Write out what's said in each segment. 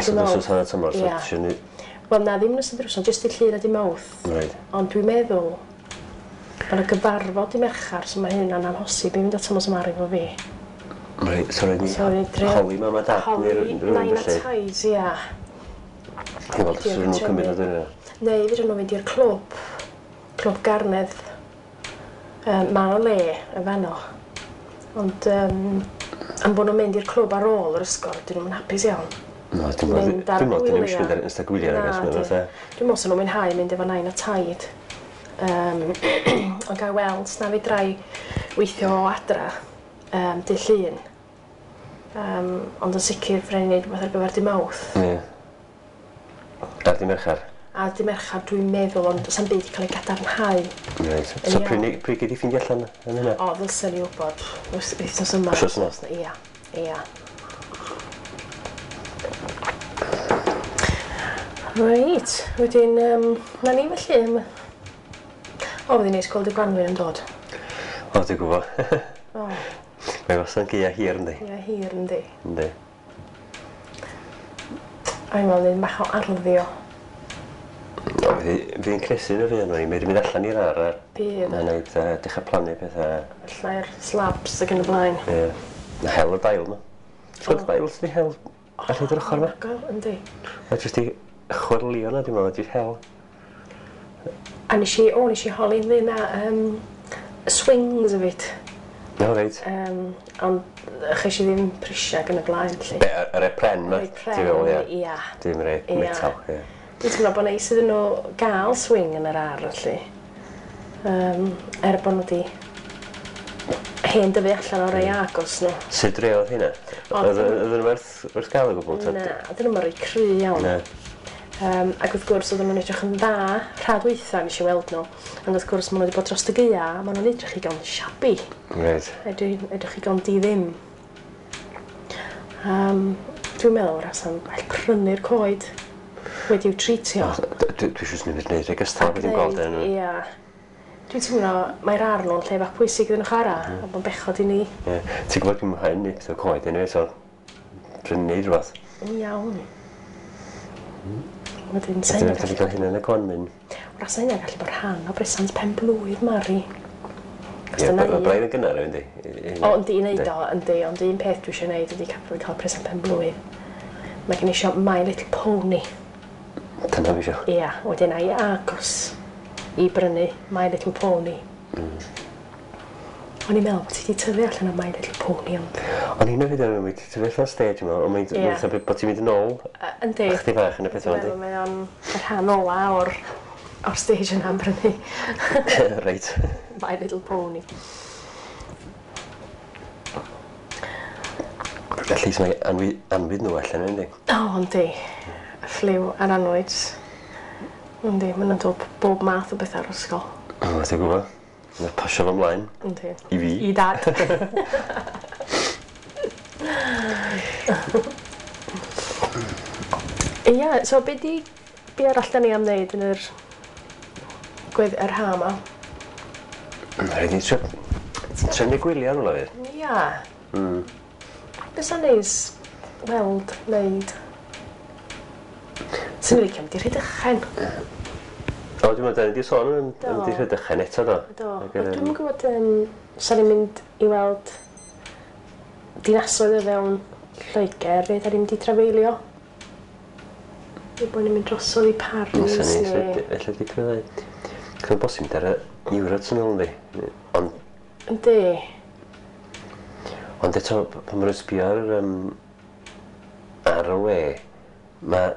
Yn ystod wsos hanner tymor, so tisio ni... Wel na, ddim yn ystod yr wsos, jyst dydd Llun a dydd Mawrth. Reit. Ond dwi'n meddwl bod 'na gyfarfod dydd Mercher, so mae hynna'n amhosib i fynd â Tomos a Mari efo fi. Reit, so raid ni holi mam a dad neu rywun felly. Holi nain a taid, ia. I weld os fydden nhw'n cymryd o dyna. Neu fedrwn nhw fynd i'r clwb, Clwb Garnedd. Yym, ma' 'na le yn fanno. Ond yym am bo' nw'n mynd i'r clwb ar ôl yr ysgol 'dyn nw'm yn hapus iawn. Na dwi'n me'wl Mynd ar dwi'n me'wl 'dyn nhw gwylia. eisiau mynd ar ystod gwylia nag oes Na ma' fatha Dwi'n me'wl sa nw'n mwynhau mynd efo nain a taid. Yym ond gai weld 's na fedrai weithio o adra yym dy' Llun. Yym ond yn sicir fy rai' ni neud rwbeth ar gyfer dy' Mawrth. Ie. Ar dy' Merchar? Ar dy' Merchar dwi'n meddwl ond sa'm byd 'di ca'l ei gadarnhau. Reit. So pryd nei- pryd gei di ffindio allan am hynna? O ddylsen i wbod wth- wythnos yma. Wsos yma? Ia ia. Reit wedyn yym 'na ni felly am y... O fydd 'i'n neis gweld y gwanwyn yn dod. O dwi gwbo. O. Mae wastad yn gaea hir yndi? Gaea hir yndi? Yndi. A fi'n me'wl neud bach o arddio. O fydd 'i fydd 'i'n cnesu yn y fuan o'n i'n medru mynd allan i'r ar' a... Bydd. A neud yy dechra plannu petha. Llai'r slabs ag yn y blaen. Ie. Ma' hel y dail 'ma. Ti'n gweld y dail sy 'di hel ar hyd yr ochor 'ma? Anhygoel yndi? Ma' jyst 'di chwyrlïo 'na dwi'n me'wl a jyst hel. A nesh i o nesh i holi ynglyn â yym swings efyd. O reit. Yym ond chesh i ddim prisia ag yn y blaen 'lly. Be' y rei pren 'ma? Rei pren Ti'n feddwl ia? ia. Dim rei metal ia. Dwi'n teimlo bo' neis iddyn n'w ga'l swing yn yr ar' felly. Yym er bo' n'w 'di hen dyfu allan o rei agos n'w. Sut rei o'dd rheina? Oedd oedden nhw werth werth gael o gwbl ta? Na, odden nw'm yn rei cry iawn. Na. Yym ac wrth gwrs oedden nhw'n edrych yn dda rha dwytha nes i weld nhw ond wrth gwrs ma' nhw wedi bod dros y gaea a ma' nhw'n edrych igon shabby. Reit. Edrych igon di ddim. Yym dwi'n meddwl wrach well prynu'r coed wedi'w treatio. Dwi dwi jyst mynd i wneud rhai gystal wedi gweld e. Ia. Dwi'n teimlo mae'r ardd nhw'n lle bach pwysig iddyn nhw chwarae a ma'n bechod i ni. Ie. Ti'n gwybod dwi'n mwynhau neud petha coed eniwe so dwi'n neud rwbath. Iawn. Wedyn sa hynna'n gallu cael hynna yn y gwanwyn. Wrach sa hynna'n gallu bod rhan o bresant pen blwydd Mari. Ie, ma' braidd yn gynnar yndi? O yndi i neud o yndi ond un peth dwi isio neud ydi cael presant pen blwydd. Mae gen i isio My Little Pony. Dyna fi isio. Ia, wedyn ai agos i brynu My Little Pony. O'n i'n meddwl bod ti 'di tyfu allan o My Little Pony ond... O'n i'n meddwl wedi tyfu allan o'r stage yma ond mae'n yeah. fatha bod ti'n mynd yn ôl. Yndi. Chdi bach yn y peth yma yndi? Mae o'n y rhan ola o'r o'r stage yna am brynu. Reit. My Little Pony. At least mae anwi anwyd nhw allan yndi? O yndi. Y ffliw a'r annwyd. Yndi ma' nw'n dod bob math o betha o'r ysgol. O ti'n gwbo. Ma' pasio fo mlaen. Yndi. I fi. I dad. Ia so be' 'di be' arall 'dan ni am neud yn yr gwedd yr ha' 'ma? Ma' raid ni trio trefnu gwylia rwla fydd? Ia. Bysa'n neis weld neud. Swn i'n licio mynd i Rhydychen. O dwi'n meddwl 'dan ni 'di sôn am Do. mynd i Rhydychen eto do? Do. Ag yym... Dwi'm yn gwbod yym sa ni'n mynd i weld dinasoedd o fewn Lloeger neu 'dan ni'n mynd i trafeilio? Neu bo' ni'n mynd drosodd i Paris neu... Ella dipyn o ddau. Mae'n bosib mynd ar y Eurotunnel yndi? Ond... Yndi. Ond eto pan ma' nw'n sbio ar yym ar y we ma'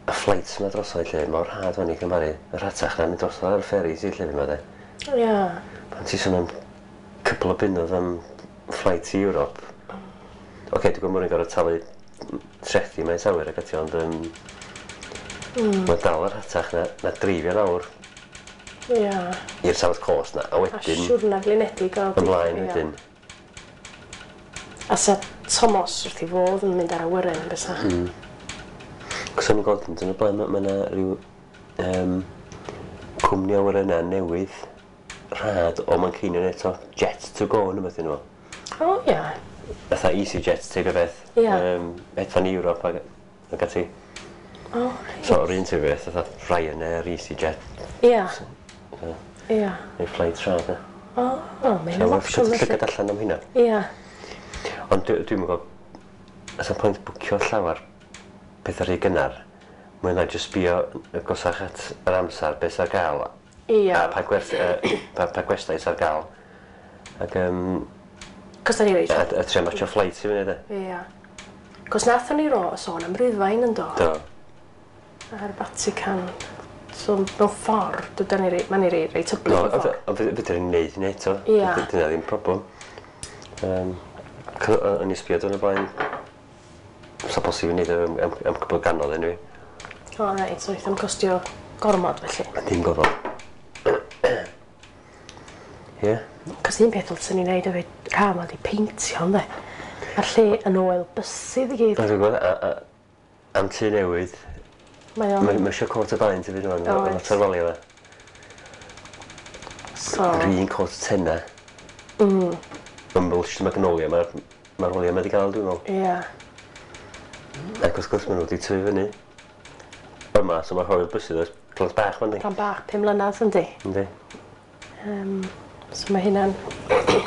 y flights 'ma drosodd 'lly mor rhad ŵan i cymharu. Y rhatach na mynd drosodd ar y ferries i llefydd 'ma 'de. Ia. Pan ti sôn am cwpwl o bunnoedd am flight i Ewrop. Oce dwi'n gwbo ma' nw'n gor'o' talu trethi maes awyr ag ati ond yym... Mae dal yn rhatach na na dreifio lawr. Ia. I'r South Coast 'na a wedyn... A siwrna flinedig o... Ymlaen wedyn. A sa Tomos wrth 'i fodd yn mynd ar awyren yn bysa? Cos o'n i'n gweld yn y blaen ma' 'na ryw yym cwmni awyrenna newydd rhad o Manceinion eto Jet to go ne' wbath enw fo. O ia. Fatha EasyJet teip o beth. Ia. Hedfan i Ewrop ag ac ati. O, reit. So, yr un ti'n beth, fatha Ryanair, EasyJet. Ia. Ia. Neu flight rhad, e. O, mae hynna'n opsiwn felly. Llygad allan am hynna. Ia. Ond dwi'n gwybod, os yna pwynt bwcio llawer pethau rhy gynnar, mae'n na jyst sbio gosach at yr amser, beth sy'n ar gael. Ia. A pa, gwerth, pa, pa gwestai sy'n ar gael. Ac, Cos da ni reit... A trio matcho flight i fyny, de. Ia. Cos nathon ni ro sôn am Rufain yn do. Do. A'r Vatican. So mewn ffordd, dydan ni reit, mae'n ni reit, reit hyblyg No, mewn ffordd. ond fedra ni wneud hynny eto. Ia. Dyna ddim problem. O'n i sbio dwi'n y blaen, sa posib i wneud o am cwbl ganodd anyway. O, reit, so wnaeth o'n costio gormod felly. Dim gofal. Ie. Cos un peth ddylsen ni wneud hefyd, rha ma di peintio, ynddo. Mae'r lle yn oel bysydd i gyd. Dwi'n gwybod, am tŷ newydd, Mae o'n... mae eisiau coat o baent i fi rwan, Oes. yn lot o'r walia fe. So, Yr un coat tenna. Ymwlch Magnolia, mae'r ma walia ma wedi cael, dwi'n meddwl. ie. Ac wrth gwrs maen nhw wedi tyfu fyny. Yma, so mae'r hoel bysydd oes plant bach ma'n di. Plant bach, 5 mlynedd, yndi. Yndi. So mae hynna'n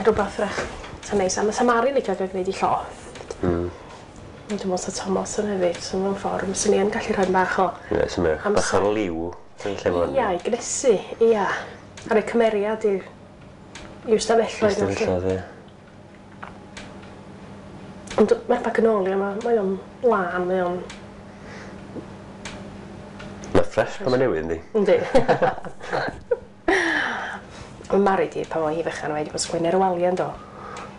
rhywbeth rach. Sa'n neis. A mae Samari'n licio gael gwneud i llofft. Dwi'n meddwl sa Thomas yn hefyd, so mewn ffordd, fyswn i yn gallu rhoi bach o... Ie, so mae bach o liw yn lle ma'n... Ia, i gnesu, ia. A rhoi cymeriad i'w stafelloedd. Ystafelloedd, ie. Ond mae'r Magnolia yma, mae o'n lân, mae o'n... Mae ffres pan mae newydd, yndi? Yndi. Mae Mari di, pan oedd hi fechan, wedi bod sgwennu ar y waliau yndo.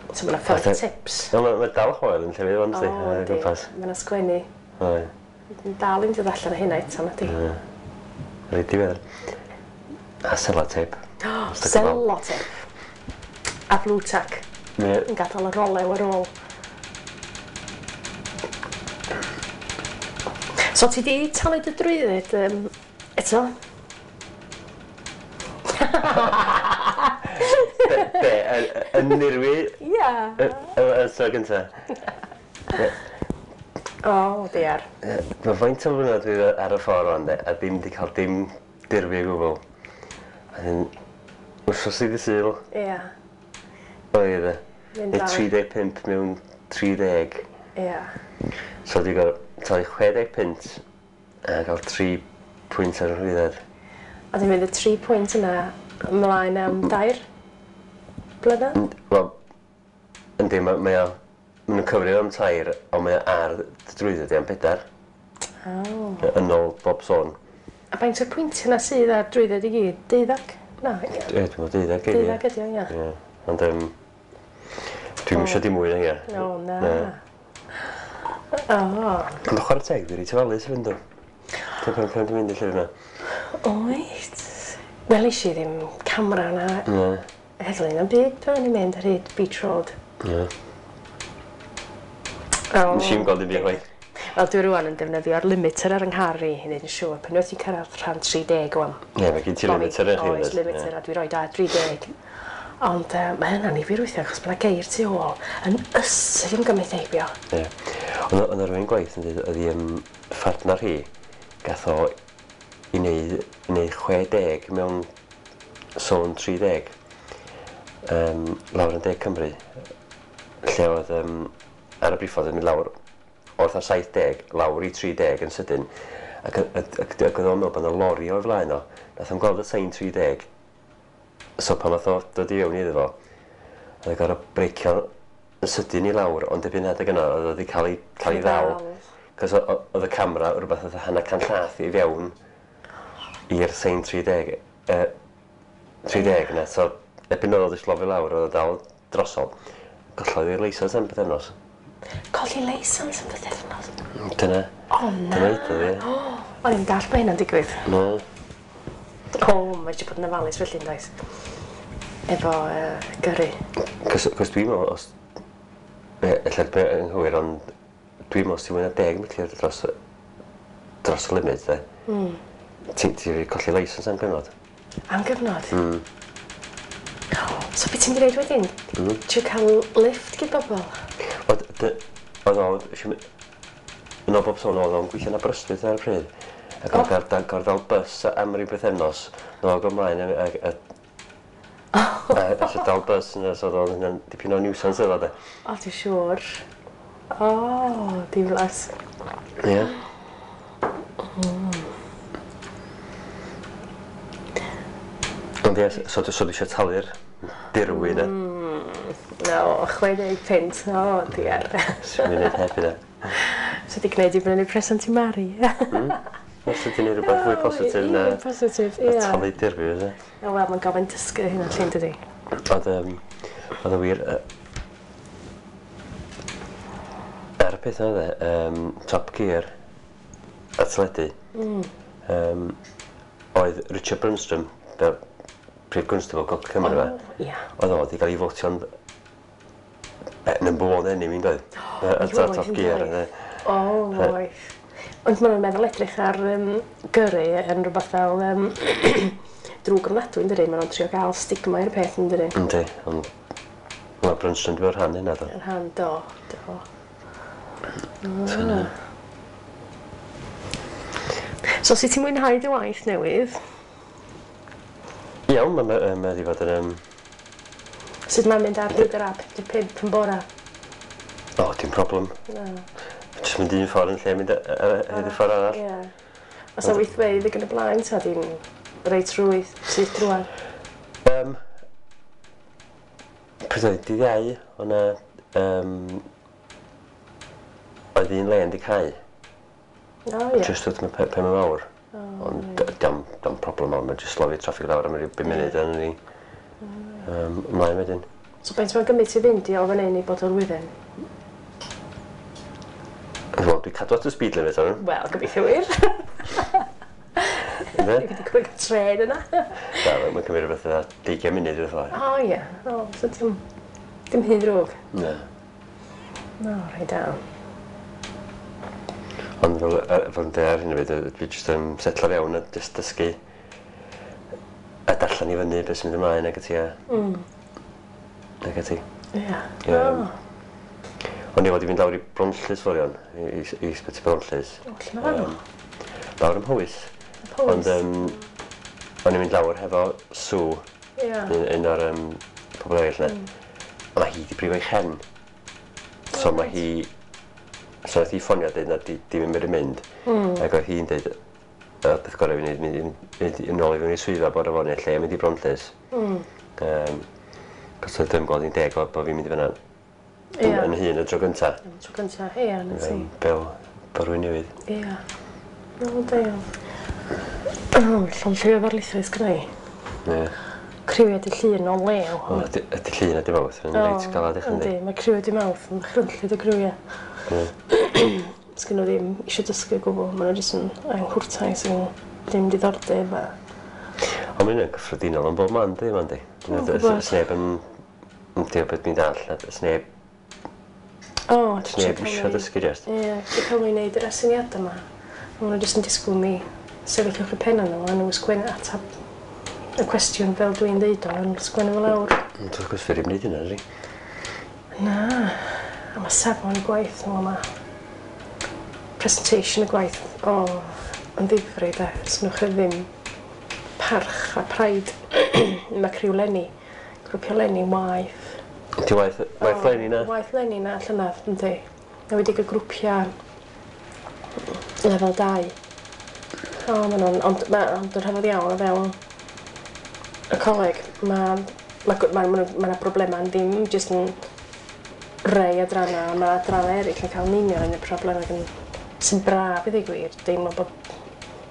So mae yna ffyrdd tips. No, mae dal hoel yn llefydd ond, O, di, ar y yndi. gwmpas. Mae yna sgwennu. Oe. Yn dal i'n dod allan o hynna eto, na di. Reit diweddar. A sellotape. Sellotape. A blue tack. Ie. Yn gadael y rolew ar ôl. So ti di talu dy drwydded eto? Be, yn nirwi Ia. y tro gynta? O, diar. Mae faint o flynedd dwi ar y ffordd rwan, de, a ddim di cael dim dirwy o gwbl. A dyn, wrthos i ddydd Sul, Ia. oedd e. Mynd Neu lawr. 35 mewn 30. Ia. So di gorfod talu 60 punt a cael 3 pwynt ar y rhwydded. A ti'n mynd y 3 pwynt yna ymlaen am 2 blynedd? Wel, yndi, mae o... Maen nhw'n cyfrif am 3, ond mae o ar dy drwydded i am 4. O. Yn ôl bob sôn. A faint o'r pwyntiau yna sydd ar drwydded i gyd? 12? Na, ia. Ie, dwi'n meddwl 12 ydi. 12 ydi o, ia. Ie, ond dwi'm isio dim mwy na hynna. O, na. Na. O. Ond chwarae teg, dwi reit ofalus i fynd o. Dwi'n pan pan dwi'n mynd i'r llyfr yna. Oed. Welis i ddim camera na Na. heddlu na'n byd pan o'n i'n mynd ar hyd Beach Road. Na. O. Nes i'm gweld dim byd chwaith. Wel, dwi rwan yn defnyddio'r limiter ar yng nghar i i wneud yn siŵr. Pan wyt ti'n cyrraedd rhan 30 wan. Ie, mae gen ti limiter yn chi. Oes, limiter, a dwi roi ar 30. Ond mae hynna'n i fi weithiau, achos mae yna geir tu ôl yn ysu am gymryd heibio. Ie. Ond oedd 'na rywun gwaith yn dweud, oedd i phartner hi, gath o i wneud 60 mewn sôn 30 lawr yn De Cymru, lle oedd ar y briffordd yn mynd lawr o'r 70 lawr i 30 yn sydyn, ac oedd o'n meddwl bod yna lori o'i flaen o, nath o'n gweld y sign 30, so pan nath o dod i fewn iddo fo, oedd o'n gorfod breicio yn sydyn i lawr, ond erbyn adeg yna oedd o wedi cael ei ddal. Cos oedd y camera rhywbeth oedd hanner can llath i fewn i'r sign 30, 30 yna, so erbyn oedd o wedi slofi lawr, oedd o dal drosodd. Gollodd i'r leisans am pythefnos. Colli leisans am pythefnos? Dyna. O, na. Dyna iddo, ie. O, o'n i'n dall bod hynna'n digwydd. Na. O, mae eisiau bod yn ofalus felly, yn does? Efo gyrru. Cos dwi'n meddwl, os... Ella be yn nghywir, ond dwi'n meddwl os ti'n mwy na 10 milltir dros y limit, de. Ti'n colli leisans am gyfnod. Am gyfnod? So beth ti'n mynd i wneud wedyn? Ti'n cael lift gyd bobl? Oedd o, Yn ôl bob sôn oedd o'n gweithio yn Aberystwyth ar y pryd. Ac o'n gorfod dal bus am ryw bythefnos nôl ag ymlaen a eisiau dal bus yna, so oedd hynna'n dipyn o nuisance iddo de. O, ti'n siŵr? O, diflas. Ie. Yeah. Ond ie, so dwi eisiau talu'r dirwy yna. No, 60 punt. O, diar. Swn i'n neud heb hynna. So di gwneud i brynu present i Mari. Os ydy'n neud rhywbeth fwy positif na... Ie, positif, ie. Talu dirwy, fyse. O, wel, mae'n gofyn dysgu hynna llun, dydi? Oedd, oedd y wir... Ar y peth yna, Top Gear a teledu, oedd Richard Brunstrom, fel prif gwnstabl Gogledd Cymru, oh, yeah. Oedd o wedi cael ei fotio'n number one enemy, yn doedd? Y Top Gear. O, oedd. Ond maen nhw'n meddwl edrych ar gyrru yn rhywbeth fel drwg ofnadwy, yn dydi? Maen nhw'n trio gael stigma i'r peth, yn dydi? Yndi, ond mae Brunstrom wedi bod rhan hynna, do. Yn rhan, do, do. So, sut ti'n mwynhau dy waith newydd? Iawn, mae wedi bod yn... Sut mae'n mynd ar hyd yr A55 yn bora? O, dim problem. Na. Jyst mynd un ffordd yn lle mynd ar hyd y ffordd arall. Ie. Os na weithfeydd ac yn y blaen, ta di'n reit rwydd, syth drwad? Pryd oedd dydd Iau, o'na... Oedd un len di cau. O, ie. Jyst wrth pen mawr. Ond dim problem mawr, mae'n jyst slofi traffig lawr am ryw 5 munud a ni ymlaen wedyn. So faint mae'n gymryd ti fynd i o fan hyn i bod o'r wydden? Wel, dwi'n cadw at y speed limit arno. Wel, gobeithio wir. Ynde? Dwi wedi cymryd trên yna. Na, mae'n cymryd rhywbeth fatha 20 munud rhywbeth fel. O ie, o, so dim hyn ddrwg. Na. No, rhaid da. Ond fel yn dweud ar hyn o bryd, dwi jyst yn setlo fewn a jyst dysgu a darllen i fyny beth sy'n mynd ymlaen ac ati a... Ac ati. Ie. O'n i fod i fynd lawr i Bronllys forion, i Ysbyty Bronllys. O, lle mae fanno? Lawr ym Mhowys. Powys. Ond o'n i'n mynd lawr hefo Sue, un o'r pobl eraill yna. Ond mae hi wedi brifo ei chen. So mae hi... So nath hi ffonio a dweud na dim yn mynd. Ac oedd hi'n dweud, y peth gorau fi wneud, mynd yn ôl i fewn i swyddfa bore fory, lle mynd i Bronllys. Cos oedd ddim gweld hi'n deg bod fi'n mynd i fyna yn hun y tro gynta. Y tro gynta, ie, na ti. Fel bod rhywun newydd. Ie. O, da iawn. O, llond lle o ddarlithoedd sgynna i. Ie. Criwiau dy llun o lew. O, ydy llun ydy mawrth, yn reit galad i chdi. Yndi, mae criwiau dy mawrth yn chrynllyd o griwiau. Sgyn nhw ddim eisiau dysgu o gwbl, maen nhw jyst yn anghwrtais yn ddim diddordeb a... Ond mae hynna'n gyffredinol yn bob man, dydi, Mandy? Dwi'm yn gwybod. Sneb yn... Diolch beth dwi'n dall, sneb... O, dwi'n Sneb eisiau dysgu jyst. Ie, dwi'n cael nhw'n neud yr asyniadau yma. Maen nhw jyst yn disgwyl mi sefyll uwch y penna nhw a nhw'n sgwennu atab y cwestiwn fel dwi'n deud o, a nhw'n sgwennu fo lawr. Ond wrth gwrs, fe ddim wneud hynna, ydy? Na, a mae safon y gwaith nhw yma. Presentation y gwaith, o, yn ddifri de, sgynnoch chi ddim parch a pride. Mae criw Lenny, grwpio Lenny waith. Ti waith Lenny na? Waith Lenny na, llynedd, yndi. A wedi cael grwpiau lefel 2. O, maen nhw'n, ond yn rhyfedd iawn o fewn y coleg, mae yna broblemau yn ddim jyst yn rei adrannau, mae adrannau eraill yn cael yn union yn y problemau sy'n braf i ddweud gwir, deimlo bod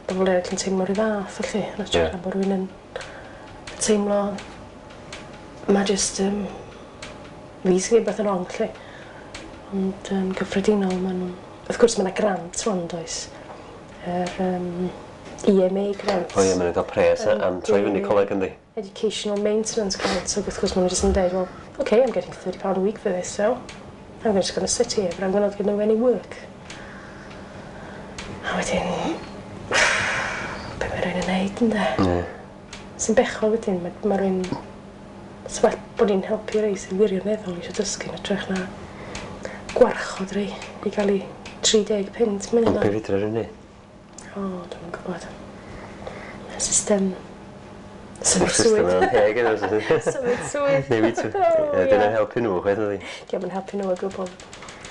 bobl eraill yn teimlo rhyw fath, felly, yn hytrach na bod rhywun yn teimlo, mae jyst fi sy'n gwneud beth yn wrong, felly. Ond yn gyffredinol, maen nhw'n... Wrth gwrs, mae yna grant rwan, does? Yr EMA grant. O ie, maen nhw'n cael pres am troi fyny coleg, yndi? Educational Maintenance Grant, so wrth gwrs maen nhw jyst yn dweud, well, okay, I'm getting £30 a week for this, so I'm just going to sit here, but I'm not going to do any work. A wedyn, be mae rhywun yn neud, ynde? Ie. Sy'n bechod wedyn, mae rhywun... It's well bod ni'n helpu rei sy'n wirioneddol eisiau dysgu yn hytrach na gwarchod rei i gael eu 30 punt Ond minimum. be fedra rhywun neud? O, dwi'm yn gwybod. Y system symud System swydd. yn anheg yna. Symud swydd. Newid swydd. O, Ie, ie. Dyna'n helpu nhw, chwaith ydi. Diolch yn helpu nhw o gwbl.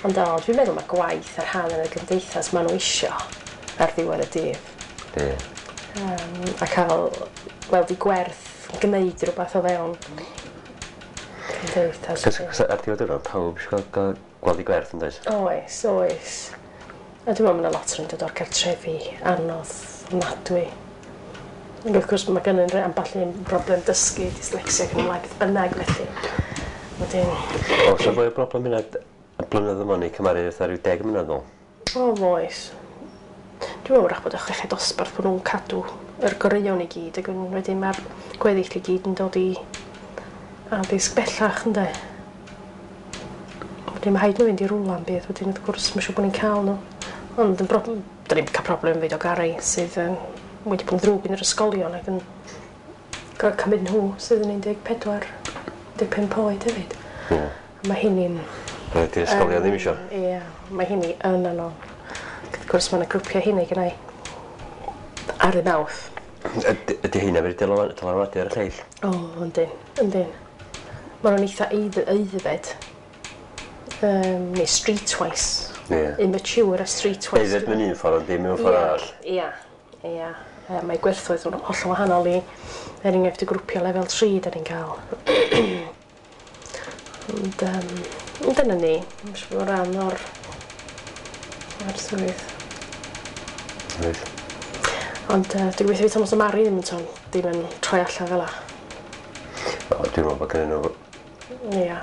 Ond o, dwi'n meddwl mae gwaith ar rhan yn y gymdeithas maen nhw isio ar ddiwedd y dydd. Ie. A cael weld i gwerth gwneud rhywbeth o fewn cymdeithas. Cos ar diwedd y diwrnod, pawb eisiau gael gweld i gwerth yn does? Oes, oes. A dwi'n meddwl mae yna lot yn dod o'r cartrefi anodd, ofnadwy. Ac wrth gwrs mae gennyn ni ambell un broblem dysgu, dyslexia ac yn ymlaen, beth bynnag felly. Wedyn, Oes 'na fwy o broblem hynna y blynyddoedd yma neu cymharu fatha rhyw 10 mlynedd nôl? o oes. Dwi'n meddwl wrach bod y chweched dosbarth bod nhw'n cadw yr goreuon i gyd ac yn wedyn mae'r gweddill i gyd yn dod i addysg bellach ynde. Wedyn mae rhaid nhw fynd i rwla am beth wedyn wrth gwrs mae'n siŵr bod ni'n cael nhw. Ond yn broblem, da ni'n cael problem fyd o Gary sydd yn wedi bod yn ddrwg yn yr ysgolion ac yn gorfod cymryd nhw sydd yn 14, 15 oed hefyd. Ie. A mae hynny'n Rhaid i'r ysgolion ddim isio. Ie, mae hynny yn anodd. Ac wrth gwrs mae yna grwpiau hynny gennau ar y mawrth. Ydy heina wedi dylanwadu ar y lleill? O, yndyn, yndyn. Maen nhw'n eitha aeddfed. Neu streetwise. Ie. Immature a streetwise. Aeddfed mewn un ffordd, ond ddim mewn ffordd arall. Ia, ia. Mae gwerthoedd nhw'n hollol wahanol i, er enghraifft, y grwpiau lefel 3 da ni'n cael. Ond dyna ni, mae'n siŵr bod rhan o'r swydd. Reit. Ond dwi'n gobeithio fydd Thomas a Mari ddim yn tôn, ddim yn troi allan fel 'a. O, dwi'n meddwl bod gennyn nhw Ia.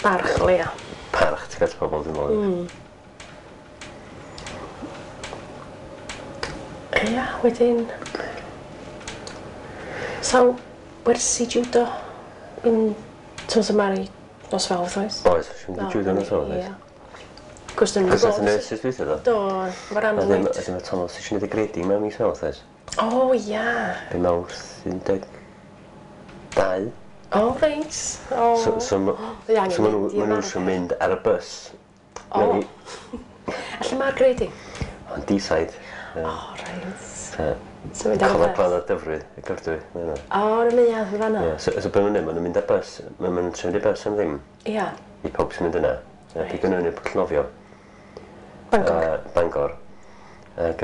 Barch o leia. parch tuag at pobl, dwi'n meddwl. Ia, wedyn... Sawl wersi judo yn Thomas a Mari nos Fawrth oes? Oes, sy'n mynd i judo nos Fawrth, oes. Ia. Cos dyn nhw'n Cos nath y nurses dwytha do? Do, mae'r A ddim, anwyd. a ddim y Thomas eisiau gwneud y grading mewn mis Mawrth, oes? O, ia. Be Mawrth 12. O, reit. O. So, Dwi angen so ma' nhw mynd i'r ma' nhw arfer. eisiau mynd ar y bus. O. A lle mae'r grading? On D-side. O, reit. So, So mynd ar y Coleg bus. Glan a Dyfrwy, y Gyfdwy. ma' hynna. O, yn y neuadd yn fan'na. Ie, so be ma'n nhw'n neud, ma' nhw'n mynd ar bus, ma' nhw'n trefnu bus am ddim Ia. i pawb sy'n mynd yna. A Reit. pigo nhw fyny pwll nofio. Bangor. Bangor. Ac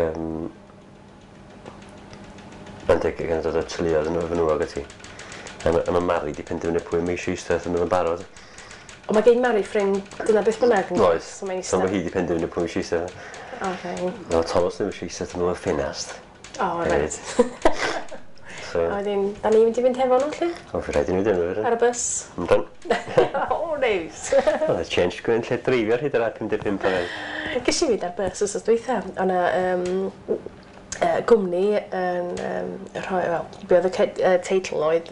mae'n deg gan dod o teuluoedd yn efo nhw ag ati. A ma' Mari di penderfynu pwy mae eisiau eistedd wrth ymyl yn barod. O, mae gen Mari ffrind dyna beth bynnag. yn- Oes. So mae'n So mae eistedd. hi di penderfynu pwy mae eisiau eistedd. O, reit. No, Thomas ddim eisiau eistedd wrth ymyl y ffenast. O, reit. So, A wedyn, da ni'n mynd i fynd hefo nhw, lle? o, fi rhaid i ni fynd efo Ar y bus. Yndan. O, neis. Oedd y change gwyn lle dreifio ar hyd yr A55 pan oedd. Ges i fynd ar bus wsos dwytha. O' 'na gwmni yn rhoi, wel, be oedd y teitl oedd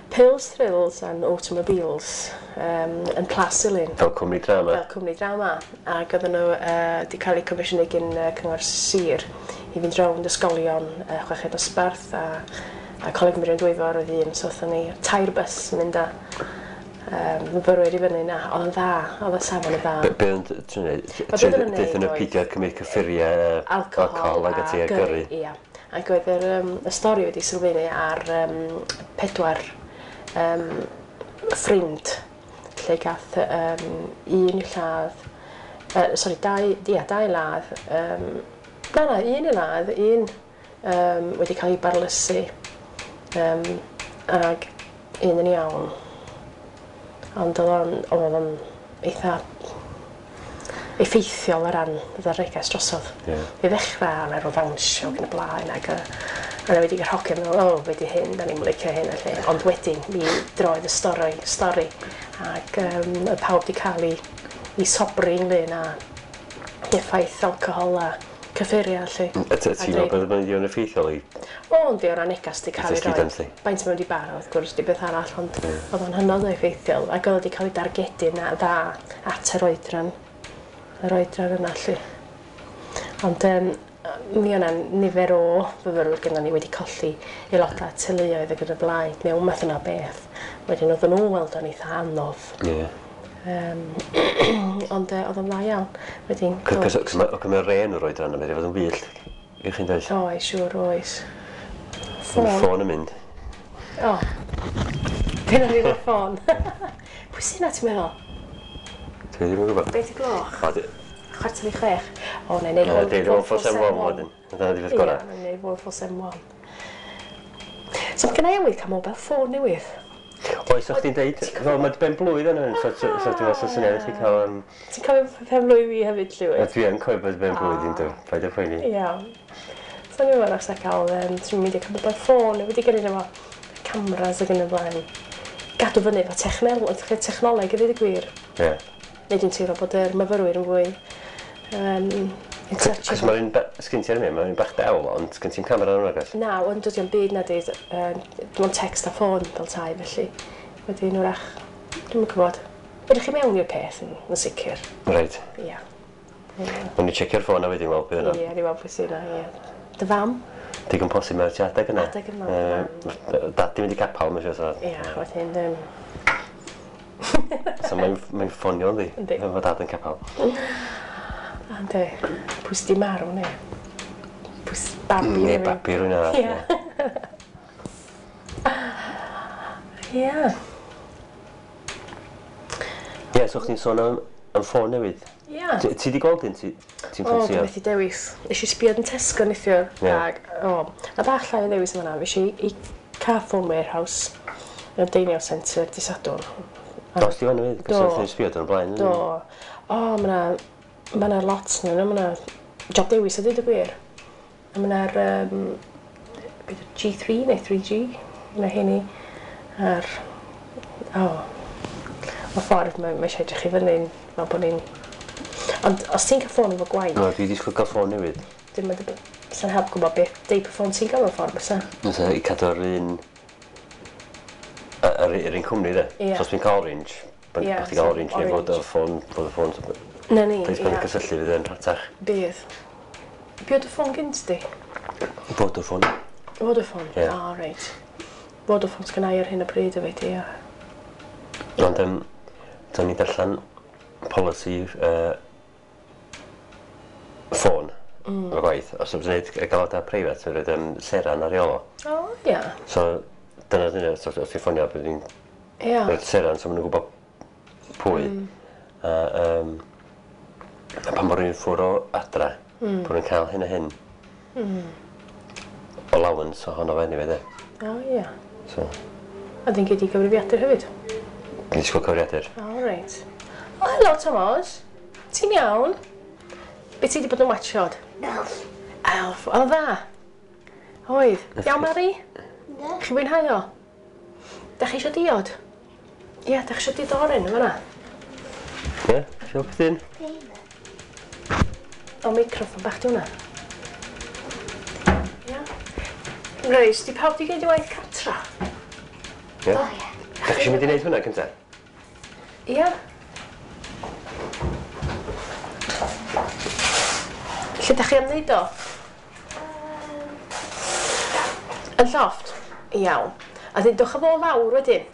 Pills, Thrills and Automobiles yn Plas Silyn. Fel cwmni drama. Fel cwmni drama. Ac oedden nhw wedi cael eu comisiynu gan Cyngor Sir i fynd rownd ysgolion chweched dosbarth a Coleg Meirion Dwyfor oedd un, so oedden ni tair bus yn mynd â myfyrwyr i fyny na. Oedd yn dda, oedd y safon yn dda. Be oedd yn trio neud? Be oedden nhw'n neud Deuthon nhw oedd- peidio cymryd cyffuriau, alcohol ag ati a gyrru. Ia. Ac oedd y stori wedi sylfaenu ar pedwar ffrind lle gath un i'w lladd, sori, dau, ia, dau ladd, na, un i ladd, un wedi cael ei barlysu, ac un yn iawn. Ond oedd o'n eitha effeithiol o ran y neges drosodd. Ie. I ddechrau, o'n rhyw ddawnsio ac yn y blaen, ac a wedi cael hogyn meddwl, o, be di hyn, da ni'n licio hyn, felly. Ond wedyn, mi droedd y stori, ac oedd pawb wedi cael ei sobri ynglyn â effaith alcohol a cyffuriau, felly. A ti'n meddwl bod yn ddigon effeithiol i... O, yndi, o ran negas di cael ei Dysgu roi. dan ti. Faint mae wedi bara, wrth gwrs, di beth arall, ond oedd o'n hynod o effeithiol, ac oedd o wedi cael ei dargedu na dda at yr oedran yna, lly. Ond mi o'na nifer o fyfyrwyr gynnon ni wedi colli aelodau teuluoedd ac yn y blaen, mewn math yna o beth. Wedyn oedden nhw'n weld o'n eitha anodd. Ie. Ond oedd o'n dda iawn. Wedyn... Cos mae ren o'r oedran yma, fod yn wyllt i chi'n dweud. Oes, siŵr, oes. Ffôn. Ffôn yn mynd. O. Dyna ni o'r ffôn. Pwy sy'n na ti'n meddwl? Dwi ddim yn gwybod. Beth i gloch? 5:45. O, neu neud 1471 wedyn. Dyna di beth gorau. Ie, neu 1471. So, mae gen i awydd cael mobile phone newydd. Oes, o'ch ti'n deud, fel mae dy ben blwydd yn hyn, so dwi'n meddwl sy'n syniad i chi cael... Ti'n cofio pen blwydd fi hefyd, Llywyd? Dwi yn cofio bod pen blwydd i'n dwi, paid â poeni. Iawn. So ni'n meddwl os cael, ti'n mynd i cael mobile phone, wedi gyrru efo cameras ac yn y blaen. Gadw fyny efo technoleg i ddweud y gwir. Ie. Neu dwi'n teimlo bod yr myfyrwyr yn fwy in touch. Cos mae'r un, sgyn ti ar y mae'n un bach del, ond sgyn ti'n camera yn hwnna, Na, ond dydy o'n byd na di, dim ond text a ffôn fel tai, felly. Wedyn wrach, dwi'm yn gwybod. Ydych chi mewn i'r peth yn sicr? Reit. Ia. Nw'n i checio'r ffôn a wedyn weld beth yna. Ie, ni weld pwy sy'n yna, ie. Dy fam? Digon posib mae'r ti adeg yna. Adeg yma. Dad di mynd i capal, mae'n siŵr. Ia, wedyn... So mae'n ffonio, yndi? Yndi. Mae dad yn capal. Yndi. Pwy sy 'di marw, ne? Pwy sy babi? Neu babi rhywun arall. Ie. Ie. Ie, so chdi'n sôn am ffôn newydd? Ie. Ti di gweld un? Ti'n ffansio? O, dwi methu dewis. Nes i sbio yn Tesco neithiwr. Ag, o, na bach llai o ddewis yma na. Fes i i Carphone Warehouse, yn Deiniol Centre, di Sadwrn. Dos di fan hefyd? Do. Cos oedd sbio yn blaen. Do. O, ma' 'na lot yn yno, ma' 'na job dewis a dweud y gwir. A ma' 'na'r G3 neu 3G, ma' heini a'r o, y ffordd mae eisiau edrych i fyny, fel bod ni'n... Ond os ti'n cael ffôn efo gwaith... No, dwi 'di disgwyl cael ffôn newydd. Dim yn sa'n help gwybod beth deip o ffôn ti'n gael mewn ffordd, bysa? Fysa i cadw'r un... Yr un cwmni, de? Ie. So os dwi'n cael Orange, bod chdi gael Orange neu Vodafone, Vodafone... Na ni, ie. Pleis cysylltu fydd yn rhatach. Bydd. Be oedd y ffôn gynt di? Vodafone. Vodafone? Ie. O, reit. Vodafone sgynna i ar hyn o bryd hefyd, ie. Ond, do'n i darllen polisi ffôn efo gwaith. Os yw'n gwneud y galwadau preifat, mae'n rhaid Seran ar ei ôl o. O, ia. So, dyna dyna, so, os ti'n ffonio, bydd ni'n Ia. rhaid Seran, so maen nhw'n gwybod pwy. A, a pan bod rhywun ffwr o adra, bod nhw'n cael hyn a hyn. Allowance ohono fe, anyway, de. O, ia. So, A dyn gyd i gyfrifiadur hefyd? dwi'n disgwyl cyfrifiadur. O, reit. O, helo, Tomos. Ti'n iawn? Be ti wedi bod yn watchod? Elf. Elf. Oedd o'n dda? Oedd. Iawn, Mari? Ne. Chi fwynhau o? Da chi eisiau diod? Ie, da chi eisiau diod oren yn fan'na? Ie, isio pethyn? O, microffon bach di hwnna. Ia. Reit, di pawb di gneud i waith cartra? Ie. O, ie. Da chi eisiau mynd i wneud hwnna cynta? Ia. Lle da chi am wneud o? Yn llofft? Iawn. A dyn dwch â fo lawr wedyn.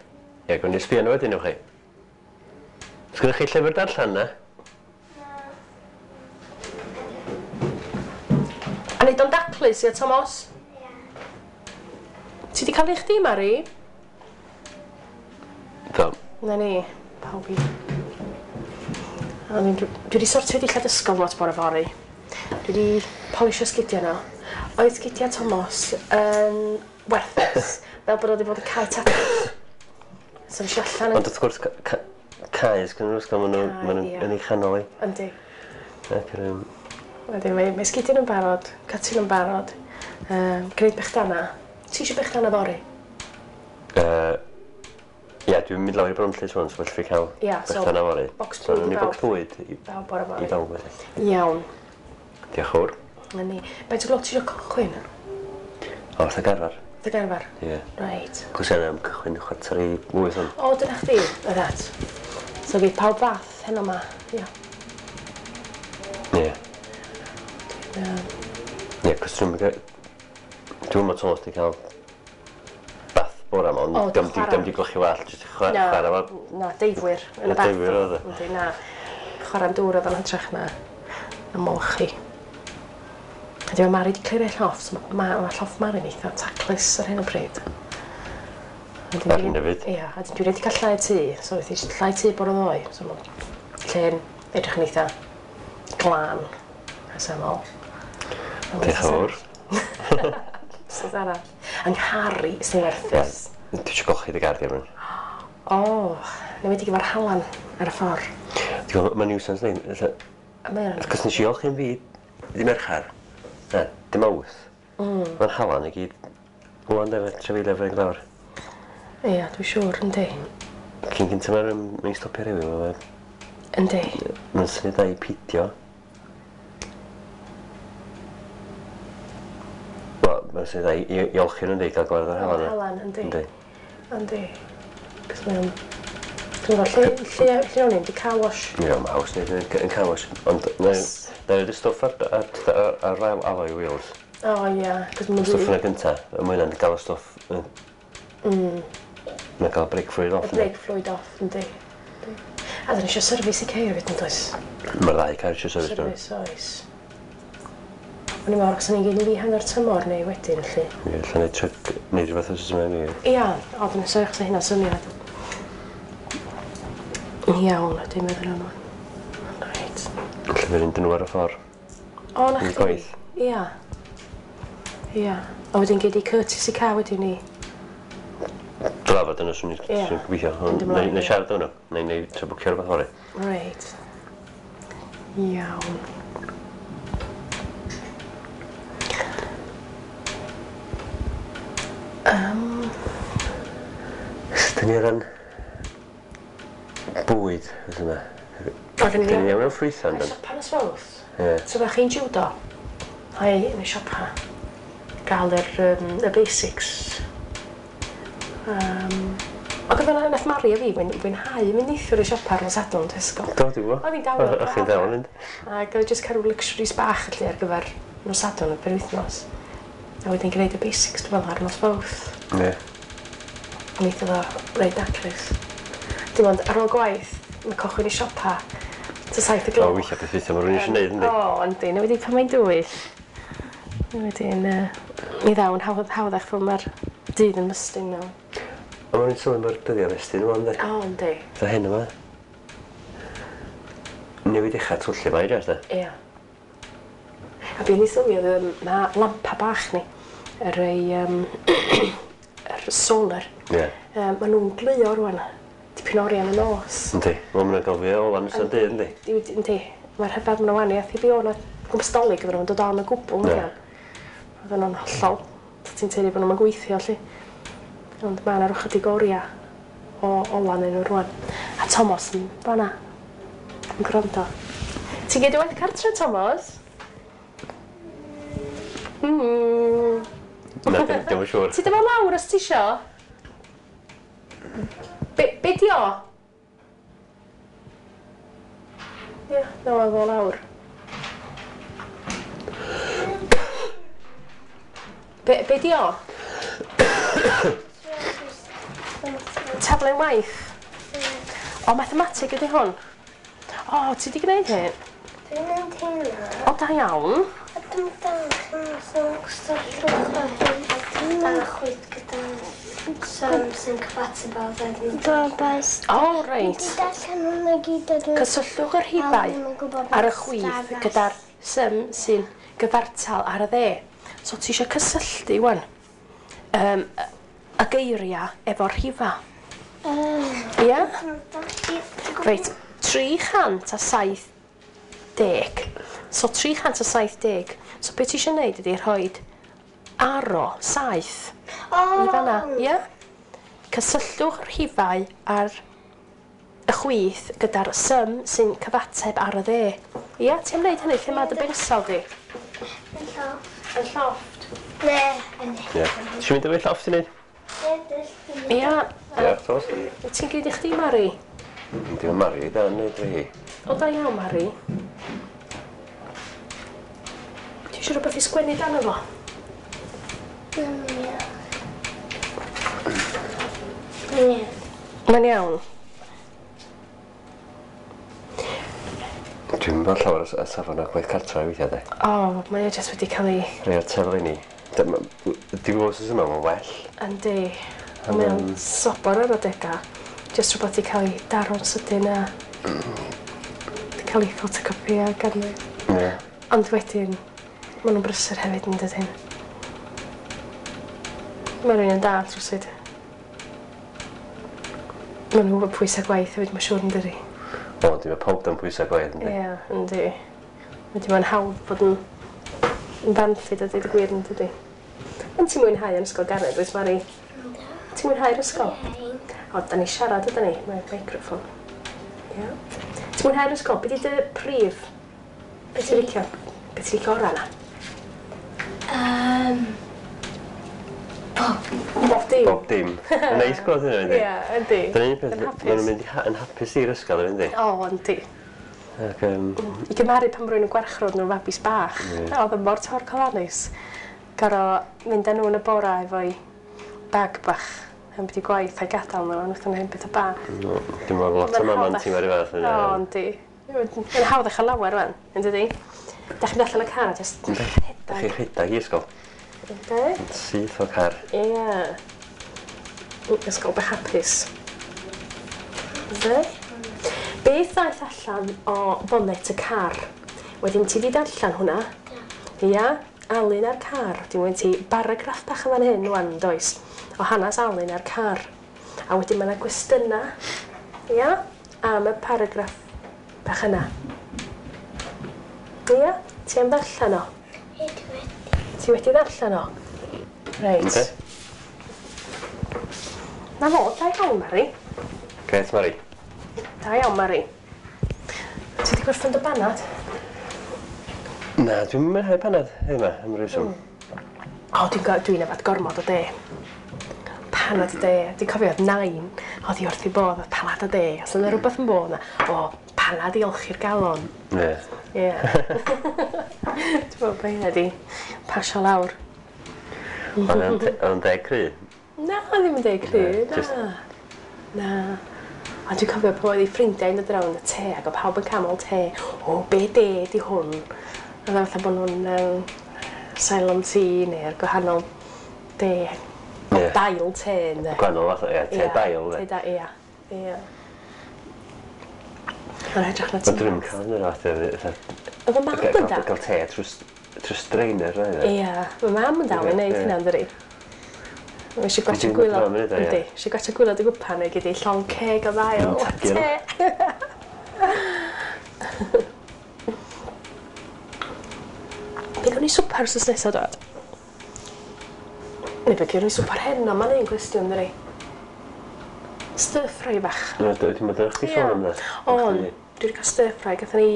Ie, gwni sbio nhw wedyn, ewch chi. Sgynnoch chi llyfr darllen na? A neud o'n daclus, ia, Tomos? Ie. Ti di cael ei chdi, Mari? Do. Na ni, pawb i. A dwi wedi sortio dillad ysgol lot bore fory. Dwi wedi polisio sgidiau nhw. Oedd sgidiau Tomos yn werthus, fel bod o wedi bod yn cael tatws. So nes i allan yn... Ond wrth gwrs, cae sgynnon nhw'r ysgol, maen nhw yn ei chanol i. Yndi. Ac yn... Wedyn mae sgidiau nhw'n barod, cati nhw'n barod, gwneud bechdana. Ti eisiau bechdana fory? Ie, dwi'n mynd lawr i Bronllys rŵan, so felly fi cael bechdana fory. Bocs bwyd i bawb. Bocs bwyd i bawb bore fory. I bawb felly. Iawn. Diolch yn fawr. Na ni. Faint o gloch ti eisiau cychwyn? O, wrth y garfar. Wrth y garfar? Ie. Reit. Cos yna am cychwyn 7:45 o'n. O, dyna chdi. Reit. So fydd pawb fath heno ma. Ia. Ie. Ie, cos dwi'n meddwl Tomos di cael bath bore yma, ond O, diom di, chwarae. diom di golchi wallt, jyst chwarae fo. Na, deifwyr yn y Na, bath. deifwyr oedd e. Yndi, na. Chwarae'n dŵr oedd o'n hytrach na ymolchi. A di Mari di clirio llofft, so ma llofft Mari'n eitha taclus ar hyn o bryd. Ar hyn o bryd. Ia, a dwi wedi cael llai tŷ, so wedi llai tŷ bore ddoe, so mae lle'n edrych yn eitha glân a syml. Diolch yn fawr. Sut arall. Yng Nghari sy'n werthus. Dwi eisiau golchi dy gar di arnyn. O, ne wedi gyfer halan ar y ffordd. Ti'n gwybod, mae'n nuisance ni. A mae o'n... Cos nes i olchi'n fi di Mercher. Na, dim Mawrth. Mae'n halan i gyd. Wan de, trefeilio fe'n glawr. Ia, dwi'n siŵr, yndi. Cyn cynta mae'n mae'n stopio rhewi, mae'n Yndi. Mae'n syniad da i pidio. Wel, mae'n syniad da i olchi nhw'n dweud, gael gwared o'r halan. Halan, yndi. Yndi. Yndi. Cos mae'n... Dwi'n gwybod, lle o'n i'n di car wash? Ie, mae haws neud yn car wash. Ond na i roid y stwff ar alloy wheels. O, ia. Cos mae'n... Stwff yna gynta, a mae hynna'n gael y stwff... Mae'n gael brake fluid off. Y brake fluid off, yndi. A dyn ni eisiau service i ceir fyd yn does? Mae'r ddau car eisiau service dwi'n. Service, oes. O'n i'n meddwl, os o'n i'n gyd i hanner tymor neu wedyn, felly. Ie, lle neud truck, neud rhywbeth os yma i fi. Ia, o, dyna sef, chos hynna'n syniad. Iawn, dwi'n meddwl am hwn. Reit. Lle fydd fynd nhw ar y ffordd. O, na Yn chdi. gwaith. Ia. Ia. A wedyn gei di courtesy car wedyn i... Drafod yna, swn i'n Ie. gobeithio. Mynd ymlaen, Neu ie. siarad o'n nhw. Neu trio bwcio rhywbeth fory. Reit. Iawn. Dyn ni o ran bwyd, oes yma. Oedden Dyn ni iawn am ffrwythau, Yn yndyn? siopa nos Fawrth. Ie. So fach chi'n judo. Ai, yn y siopa. Gael y basics. Ac oedd yna nath Mari a fi fwynhau mynd neithiwr i siopa ar nos Sadwrn Tesco. Do, dwi'n gwybod. Oedd hi'n dawel. O'ch chi'n dawel mynd. Ac oedd jyst cael rhyw luxuries bach felly ar gyfer nos Sadwrn y penwythnos. A wedyn gwneud y basics dwi'n meddwl ar nos Fawrth. Ie. Wneith o reit daclus. Dim ond ar ôl gwaith, mae cochwyn i siopa ta 7 y O, gloch. weithiau beth weithiau, mae rhywun eisiau gwneud, yndi? O, yndi. Na wedi pan mae'n dywyll. Wedyn, mi ddaw'n hawddach fel mae'r dydd yn mystyn nawr. A mae'n sylwi mae'r dyddiau mestyn yma, yndi? O, yndi. Fatha hyn yma. Newid eich twllu mae, jyst, de? Ia. A be ni sylwi oedd mae lampa bach ni, yr ei, yr solar. Ie. Maen nhw'n gleuo rwan, dipyn o oriau yn y nos. Yndi. Wel, maen nhw'n gael fwy o ola yn ystod dydd, yndi? Yndi. Mae'r rhyfedd maen nhw wahaniaeth i fi o'na gwmpas Dolig oedden nhw'n dod on o gwbl. Ie. Oedden nhw'n hollol. Ti'n teulu bod nhw'n gweithio, lly. Ond mae yna rhyw chydig oriau o ola yn nhw rwan. A Thomas yn fanna, yn gwrando. Ti'n gyd i waith cartre, Thomas? Na, dim yn siŵr. Ti ddim yn lawr os ti isio? Be di o? Ia, na fo lawr. Be di o? Taflen waith? O, mathemateg ydy hwn. O, ti di gwneud hyn? Dwi'n mynd hynna. O, da iawn. A dwi'n dangos yn cysylltwch â hyn a dwi'n chwyth gyda sum sy'n cyfateb â ddefnydd. O, reit. Dwi'n darllen hwnna gyd a dwi'n... Cysylltwch yr rhifau ar y chwith gyda'r sum sy'n gyfartal ar y dde. So ti eisiau cysylltu wan y geiriau efo'r rhifau. Ia? Reit, 370. So 370. So beth ti eisiau gwneud ydy rhoi aro 7 i fanna, ia? Cysylltwch rhifau ar y chwith gyda'r sum sy'n cyfateb ar y dde. Ia, ti am wneud hynny lle mae dy bensel di? Yn llofft. Yn llofft. Ne, yn Ie. Ti eisiau mynd efo'i llofft i wneud? Ia. Ie, Thomas. Wyt ti'n gwneud i chdi, Mari? Yndi, mae Mari da yn neud hi. O, da iawn, Mari. Ti eisiau rhywbeth i sgwennu dan efo? Ie. Mae'n iawn. Mae'n iawn. Dwi'n meddwl llawer o safon o gwaith cartra weithiau de. O, mae o jyst wedi cael ei... Rhai o'r teli ni. Dwi'n gwybod os yma, mae'n well. Yndi. Mae o'n sobor ar adega. Jyst rhywbeth i cael ei daro'n sydyn a... Di cael ei photocopio gan nhw. Ie. Ond wedyn, maen nhw'n brysur hefyd yn dydyn. Mae rhywun yn dal rhywsut. Maen nhw'n gwybod pwysau gwaith hefyd, mae'n siŵr yn dydi. O, dwi'n meddwl pawb dan pwysau gwaith, yndi? Ie, yndi. Wedyn mae'n hawdd bod yn fanllyd a dweud y gwir yn dydi. Ond ti'n mwynhau yn ysgol Garnedd, wyt Mari? Ti'n mwynhau'r ysgol? O, da ni siarad yda ni, mae'r microffon. Ie. Ti'n mwynhau'r ysgol? Be di dy prif? Be ti'n licio? Be ti'n licio ora na? Bob. Bob dim. Bob dim. Mae'n neis gweld hynna, yndi? Ie, yndi. Dyna un peth, Yn hapus. maen nhw'n mynd yn hapus i'r ysgol, yndi? O, yndi. Ac, I gymharu pan rwy'n yn gwarchrod nhw'n fabis bach. Ie. Oedd yn mor torcolanus. Goro mynd â nhw yn y bora efo'i bag bach yn byd i gwaith a'i gadael nhw, ond wrth nhw'n beth o bach. no, dwi'n meddwl lot o maman ti'n meddwl fath. O, yndi. Mae'n hawdd eich lawer rwan, yn dydi? Da chi'n mynd allan y car a jyst Yndi. Da rhedeg. chi'n rhedeg i ysgol. Yndi? Syth o car. Ie. Ysgol bach hapus. Yndi? Beth ddaeth allan o bonnet y car? Wedyn ti di darllen hwnna? Ia, Alun a'r car. Wedyn wedi ti baragraff bach yn fan hyn wan, does? O hanes Alun a'r car. A wedyn mae yna gwestiynau, ia, am y paragraff bach yna. Ia, ti am ddarllen o? Ie, dwi wedi. Ti wedi ddarllen o? Reit. Yndi? Na fo, da iawn, Mari. Gret, Mari. Da iawn, Mari. Ti wedi gorffen dy banad? Na, dwi'n mwynhau panad heddiw yma, am rhywswm. O, dwi'n yfad gormod o de. Panad o de. Dwi'n cofio oedd nain, oedd hi wrth ei bodd, oedd panad o de. Os yna rhywbeth yn bod yna, o, panad i olchi'r galon. Ie. Ie. Dwi'n meddwl bod hynna di pasio lawr. Ond o'n deg cry. Na, ddim yn deg cry, Na, jyst- na. Na. Ond dwi'n cofio pan oedd ei ffrindiau yn dod rownd y te ac oedd pawb yn camol te. O, be de di hwn? Oedd o fatha bod nhw'n Ceylon tea neu'r gwahanol de. Ie. Dail te, ynddo. Gwahanol fath o, ie, te dail. Te de. dail, ia. Ia. Mae'n edrych na Ond dwi'n cael hynny fath o... Oedd y mam yn dal. Gael te trwy strainer, rhaid. Ia, mae mam yn dal yn neud Ie. hynna, ynddi? Mae eisiau gwachio Dwi'n gwylod. meddwl am hynny, ie. Yndi, eisiau gwachio gwylod y gwpan neu gyd i llong ceg o ddail. Yn tagu Te. Be gawn ni swper wsos nesaf dod? Neu be gawn ni swper heno, mae'n un cwestiwn, dydi? Stir fry bach. Na, dwi'n meddwl chdi sôn am dda. On, dwi wedi cael stir fry. Gathon ni,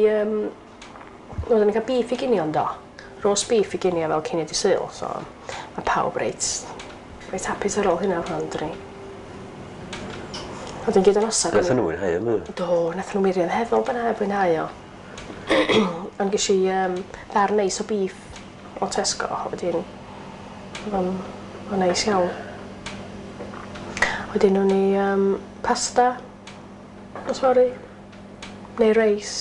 oedden ni'n cael beef i ginio yndo. Roast beef i ginio fel cinio di Sul, so mae pawb reit hapus ar ôl hynna rhan, dwi. Oedden gyd yn osod. Nath nhw mwynhau o, Do, nath nhw wirioneddol bynnag fwynhau o. Ond ges i ddarn neis o beef o Tesco, wedyn oedd o'n neis iawn. Wedyn o'n i pasta, nos fory, neu reis.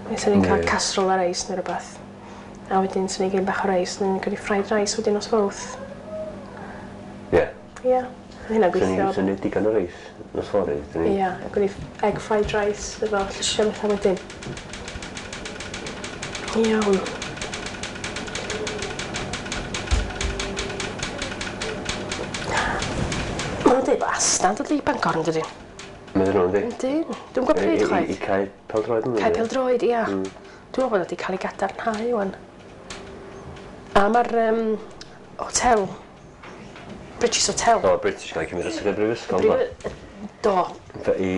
Neu swn i'n cael Ie. casserole a reis neu rhywbeth. A wedyn swn i'n gael bach o reis, neu cael fried rice wedyn nos fawrth. Ie. Ie, oedd hynna'n gweithio. Swn i'n digon o reis nos fory. Ie, ac o'n i egg fried rice efo llysiau bethau wedyn. Iawn. Maen nhw'n dweud bod Asda'n dod i Bangor yn dydyn? Meddwl nhw, yndi? Yndyn. Dwi'n gwybod pryd I chwaith. cael pêl-droed yn Cae pêl-droed, ia. Dwi'n meddwl bod o wedi cael ei gadarnhau wan. A mae'r hotel, British Hotel. O, British gael ei cymryd dros y brifysgol, do. Do. I...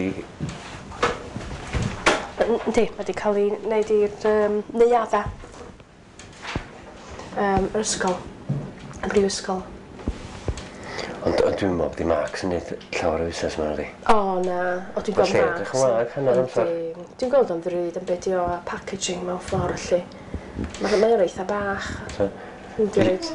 Yndi, mae wedi cael ei wneud i'r neuadda. Yr ysgol. Y brifysgol. Ond dwi'n meddwl bod i Marks yn neud llawer o fusnes yma, ydi. O, na. O, dwi'n gweld Mae lle Marks. edrych yn wag hanner amser. Yndi. Dwi'n gweld o'n ddrud yn beth o a packaging mewn ffordd, felly. Mae o'n eitha bach. So, Yndi, reit.